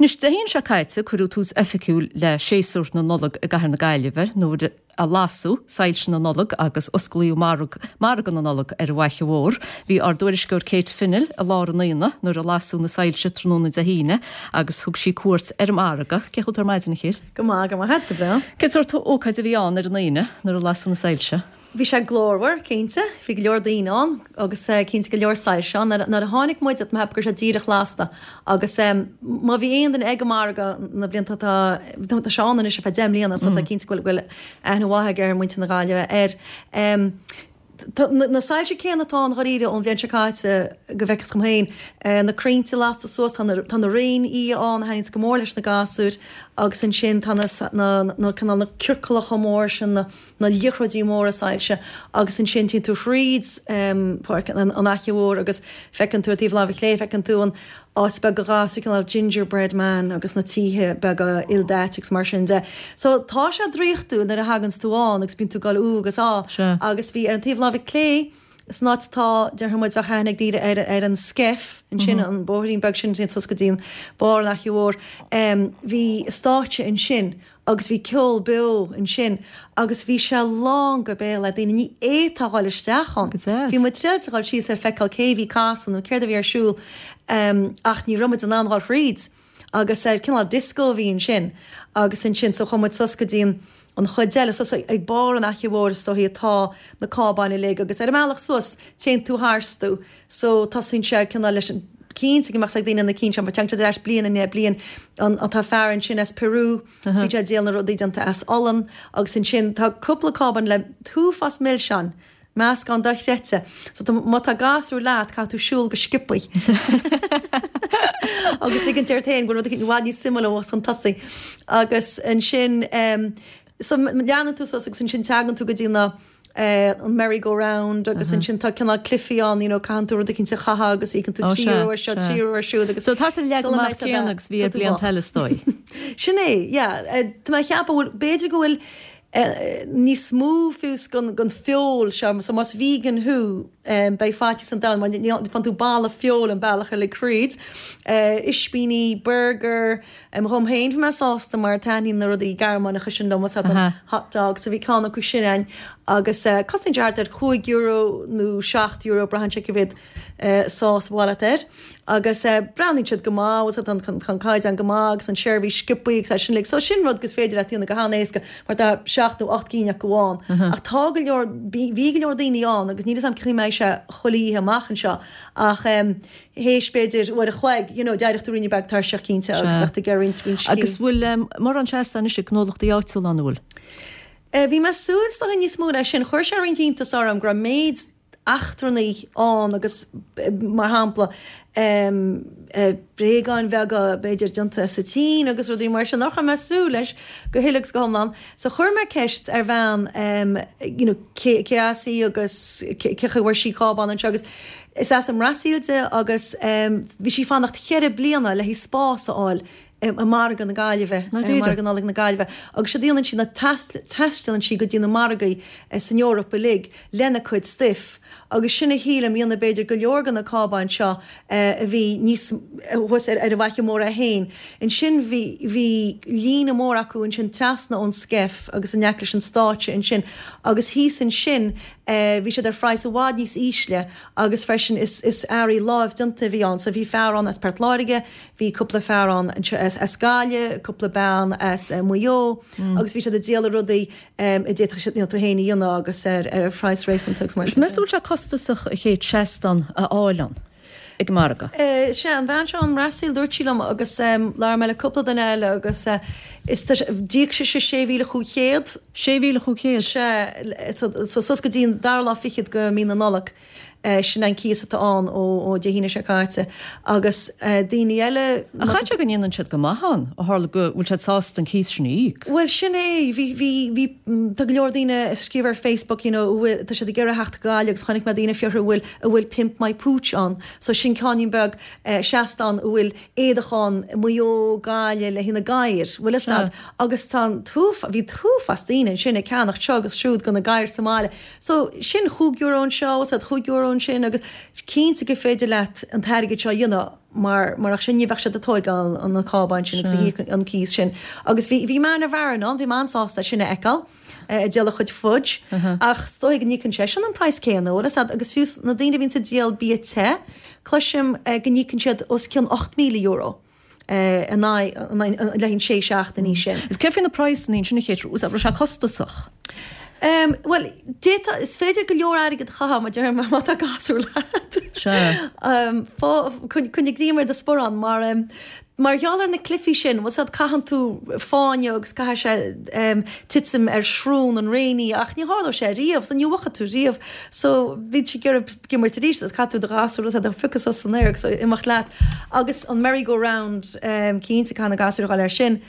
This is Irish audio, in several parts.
Anois, Dé hAoine seo caite, cuireadh tús oifigiúil le séasúr na Nollag i gCathair na Gaillimhe nuair a lasadh soilse na Nollag agus osclaíodh margadh Margadh na Nollag ar an bhFaiche Mhór. Bhí ár dtuairisceoir Kate Fennell i lár an aonaigh nuair a lasadh na soilse tráthnóna Dé hAoine agus thug sí cuairt ar an margadh. Cén chaoi a bhfuil tú ar maidin, a Kate? Go maith, go maith, go breá. Cén sórt ócáid a bhí ann ar an Aoine nuair a lasadh na soilse? Bhí sé glórmhar, cinnte. Bhí go leor daoine ann agus cinnte go leor soilse ann. Nuair a tháinig muid, tá mé ag ceapadh go raibh sé díreach lasta agus má bhí aon duine ag an margadh na blianta atá, tá sé ann anois ar feadh 10 mbliana so tá cinnte go bhfuil aithne mhaith ag ar muintir na Gaillimhe air. Tá na soilse céanna atá ann dháiríre ón bhliain seo caite go bhfeiceas dhom féin. Na crainnte lasta suas, tá na réinfhia ann a thaitníonns go mór leis na gasúir agus ansin tá na na cineál na ciorcalacha mór sin, na liathróidí móra soilse agus ansin téann tú thríd Páirc an Fhaiche Mhór agus feiceann tú ar taobh láimhe clé, feiceann tú an áit beag do ghasúir, cineál gingerbread man agus na títhe beaga ildaite agus mar sin de. So tá sé draíochtúil nuair a thaganns tú ann agus bíonn tú ag dul ú agus á agus bhí ar an taobh láimhe clé san áit atá, déarfaidh muid, bheadh aithne ag daoine ar ar an Skeff ansin, an bóithrín beag sin a théann suas go dtí an barr an Fhaiche Mhór, bhí stáitse ansin Agus bhí ceol beo ansin agus bhí sé lán go béal le daoine, ní fhéadfá dhul isteach ann. Go deas. Bhí muid triáilte dhul síos ar feiceáil cé bhí ag casadh nó céard a bhí ar siúl ach ní raibh muid in ann dhul thríd. Agus cineál disco a bhí ansin agus ansin so chuaigh muid suas go dtí an an chuid eile, suas ag barr an Fhaiche Mhóir is dóichí atá na cábáin uilig agus ar an mbealach suas téann tú tharstu So tosaíonn sé cineál leis an, cinnte go mbeadh 's ag daoine na cinn seo mar tagann siad ar ais bliain i ndiaidh bliain, an, an, tá fear ansin as Peru, is bíonn sé ag díol na rudaí déanta as olann agus ansin tá cúpla cábán le t-uafás milseáin, meascán dochreidte. So tá, má tá gasúr leat caithfidh tú siúl go sciobthaí agus ligint ort féin go bhfuil rud éicint i bhfad níos suimiúla abhus chun tosaigh. Agus ansin em, so leanann tú suas agus ansin teagann tú go dtí na, an merry go round agus ansin tá cineál cluichí ann you know caitheann tú rud eicínt a chaitheamh agus íocann tú €3 ar seo €3 ar siúd agus So tá an leagan amach céanna agus bhí ar blianta eile is dóigh. Sin é, yeah. Tá mé ag ceapadh bhfuil, b'fhéidir go bhfuil níos mó fiús den feoil seo, so más vegan thú beidh faitíos an domhain mar ní faigheann tú boladh feoil an bealach uilig thríd. Ispíní, burger, Dhom féin bhí mé sásta mar taitníonn na rudaí Gearmáineacha sin liom, is an hot dog, so bhí ceann acu sin ann agus cosnaíonn sé thart ar €5 nó €7, braitheann sé cé mhéad sás ba mhaith leat air. Agus breathnaíonn siad go maith, tá an caighdeán go maith agus an seirbhís sciobthaí agus é sin uilig. So sin rud gus féidir leat a dhéanamh go han-éasca mar tá seacht nó ocht gcinn acu ann. Ach tá go leor, bhí go leor daoine ann agus níl 'fhios a'm cén chaoi mbeidh sé chuile oíche amach anseo ach théis b'fhéidir uair a chloig, you know, d'éireodh tú ruainne beag tuirseach cinnte agus bheadh tú ag iarraidh roinnt, roinnt scíth. Agus bhfuil mórán seastán anois ag gnólachtaí áitiúla ann, an bhfuil? Bhí mé ag súil is dóigh níos mó leis sin. Chuir sé roinnt iontas orm go raibh méid eachtrannaigh ann agus mar shampla bréagáin bheaga b'fhéidir déanta sa tSín agus rudaí mar sin nach raibh mé ag súil leis go huile agus go hiomlán. So chuir mé ceist ar bhean you know cé cé as í agus cé chaoi a bhfuair sí cábán anseo agus Is as an mBrasaíl di agus bhí sí ag fanacht cheithre bliana le haghaidh spás a fháil i margadh na Gaillimhe, i margadh Nollag na Gaillimhe. Agus séard a dhéanann sí ná taistealann sí go dtí na margaí san Eoraip uilig lena cuid stuif. Agus sin a shílim a dhéanamh b'fhéidir go leor de na cábáin seo a bhí níos thuas ar an bhFaiche Mhór é féin. Ansin bhí bhí líne mór acu ansin trasna ón Skeff agus in aice leis an stáitse ansin agus thíos ansin Bhí siad ar phraghas i bhfad níos ísle agus freisin is is earraí lámhdéanta a bhí ann. So bhí fear ann as Port Láirge, bhí cúpla fear ann anseo as as Gaillimh, cúpla bean as Maigh Eo agus bhí siad ag díol rudaí a d'fhéadfadh siad you know tú féin a dhéanamh agus ar ar phraghas réasúnta agus mar sin de. Meas tú bhfuil sé costasach a Kate seastán a fháil ann ag an margadh? Sea, an bhean seo ón mBrasaíl, dúirt sí liom agus labhair mé le cúpla duine eile agus is tá sé, d'íoc sise 6,500. 6,500? Sea, so suas go dtí an dara lá fichead de mí na Nollag, sin an cíos atá ann ó Dé hAoine seo caite. Agus daoine eile. Ach caithfidh sé go ndéanann siad go maith ann, ó tharla go bhfuil siad sásta an cíos sin a íoc. Bhuel, sin é, bhí, bhí, bhí, tá go leor daoine ag scríobh ar Facebook, you know, a bhfuil, tá siad ag iarraidh theacht go Gaillimh agus chonaic mé daoine ag fiafraí an bhfuil, an bhfuil Pimp My Pooch ann. So sin ceainnín beag seastán a bhfuil éadach Mhaigh Eo, Gaillimh le haghaidh na gadhair, bhfuil fhios a'd, agus tá an t-uafás, bhí t-uafás daoine ansin ag ceannacht seo agus siúd do na gadhair sa mbaile. So sin chúig euro anseo, bhfuil fhios a'd, €5. ansin agus cinnte gur féidir leat an t-airgead seo a dhéanamh mar murach sin ní bheadh siad ag tóigeáil na cábáin sin agus ag íoc an cíos sin. Agus bhí bhí Man of Aran ann, bhí mé an-sásta é sin a fheiceáil ag díol a chuid fudge ach is dóigh go n-íocann seisean an praghas céanna, bhfuil fhios a'd, agus fiú na daoine a bhíonns ag díol bia te, cloisim go n-íocann siad os cionn €8,000. in aghaidh le haghaidh an sé seachtainí sin. Is céard faoi na praghsanna ansin a Kate, raibh sé costasach? Bhuel, d'fhéadfá, is féidir go leor airgead a chaitheamh, mar déarfainn, má tá gasúr leat. Sea. Coinnigh greim ar do sparán mar, mar gheall ar na cluichí sin, bhfuil 's a'd, caitheann tú fáinne agus caithfidh sé titim ar srón an réiní ach ní tharlóidh sé riamh, so ní bhuafaidh tú riamh. So, bíonn siad ag iarraidh ag imirt arís agus caithfidh tú do ghasúr a phiocadh suas san aer agus imeacht leat. Agus an merry go round, cinnte caithfidh na gasúir a dhul air sin.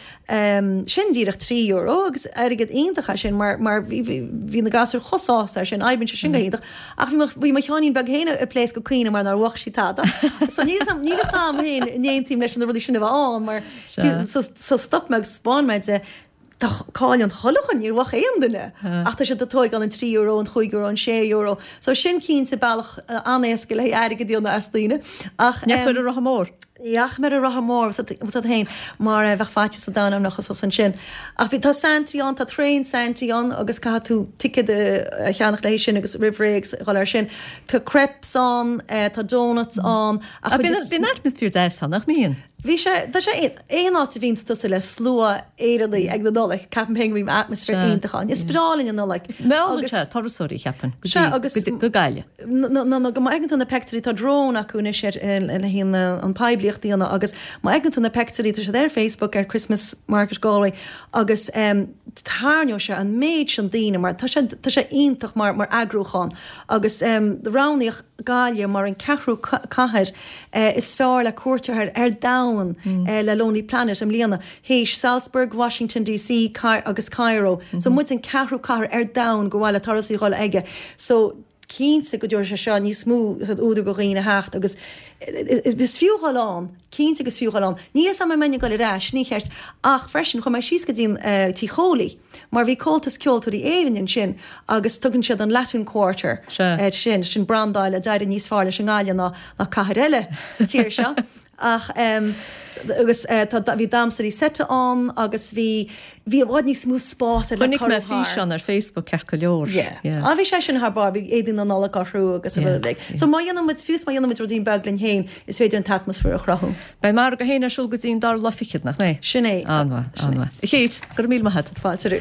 Sin díreach €3 agus airgead iontach é sin mar mar bhí bhí na gasúir chomh sásta air sin, oibríonn sé sin go hiontach. Ach bhí mo bhí mo sheáinín beag féin ag pléascadh ag caoineadh mar nár bhuaigh sí tada. So níl 'fhios a'm níl 'fhios a'm féin an aontaím leis na rudaí sin a bheith ann mar so so stop mé agus 'spáin mé di Tá cáil an chuile dhuine, níor bhuaigh aon duine ach tá siad ag tóigeáil an €3, an €5, an €6. So sin cinnte bealach an-éasca le haghaidh airgead a dhéanamh as daoine. Ach. Ní fhaca tú ar an Rotha Mór? Ní fhaca mé ar an Rotha Mór, bhfuil 's a'd féin, mar bheadh faitíos an domhain orm nach thusa ansin. Ach bhí, tá Santy ann, tá traein Santy ann agus caithfidh tú ticéad a cheannach le haghaidh sin agus roimh ré agus dhul air sin. Tá crepes ann, tá donuts ann ach. Bíonn atmaisféar deas ann, nach mbíonn? Bhí sé, tá sé, aon áit a bhíonns tusa le slua Éireannaigh ag na Nollaig, ceapaim féin go mbíonn atmaisféar iontach ann. Is breá linn an Nollaig. Meallann sé turasóirí, cheapfainn, go dtí, go Gaillimh. Nó go má fheiceann tú na peictiúirí, tá drone acu anois ar, le haghaidh an poiblíocht a dhéanamh agus má fheiceann tú na peictiúirí, tá siad ar Facebook ar Christmas Market Galway agus tarraingeoidh sé an méid sin daoine mar tá sé, tá sé iontach mar, mar eagrúchán agus roghnaíodh Gaillimh mar an ceathrú cathair is fearr le cuairt air ar domhan le Lonely Planet i mbliana, théis Salzburg, Washington DC agus Cairo. So muid an ceathrú cathair ar domhan gur mhaith le turasóirí dhul aige. So cinnte go dtabharfaidh sé seo níos mó údar go dhaoine a theacht agus is fiú dhul ann, cinnte go is fiú dhul ann. Níl 'fhios a'm an mbeinn ag dul ar ais, sin an cheist, ach freisin chuaigh mé síos go dtí an Tigh Chóilí. Mar bhí Comhaltas Ceoltóirí Éireann ansin agus tugann siad an Latin Quarter air sin, sin brandáil a d'éirigh níos fearr leis i nGaillimh ná ná cathair eile sa tír seo. Ach agus tá bhí damhsóirí seite ann agus bhí bhí i bhfad níos mó spás ar le Chonaic mé físeán ar Facebook ceart go leor. Yeah. Yeah. Ah bhí sé sin thar barr, bhí éadaí na Nollag orthu agus yeah. rud uilig. So má dhéanann muid fiú má dhéanann muid ruidín beag linn féin, is féidir an t-atmaisféar a chruthú. Beidh an margadh féin ar siúl go dtí an dara lá fichead, nach mbeidh? Sin é. An-mhaith, an-mhaith. A Kate, go raibh míle maith agat. Fáilte romhat.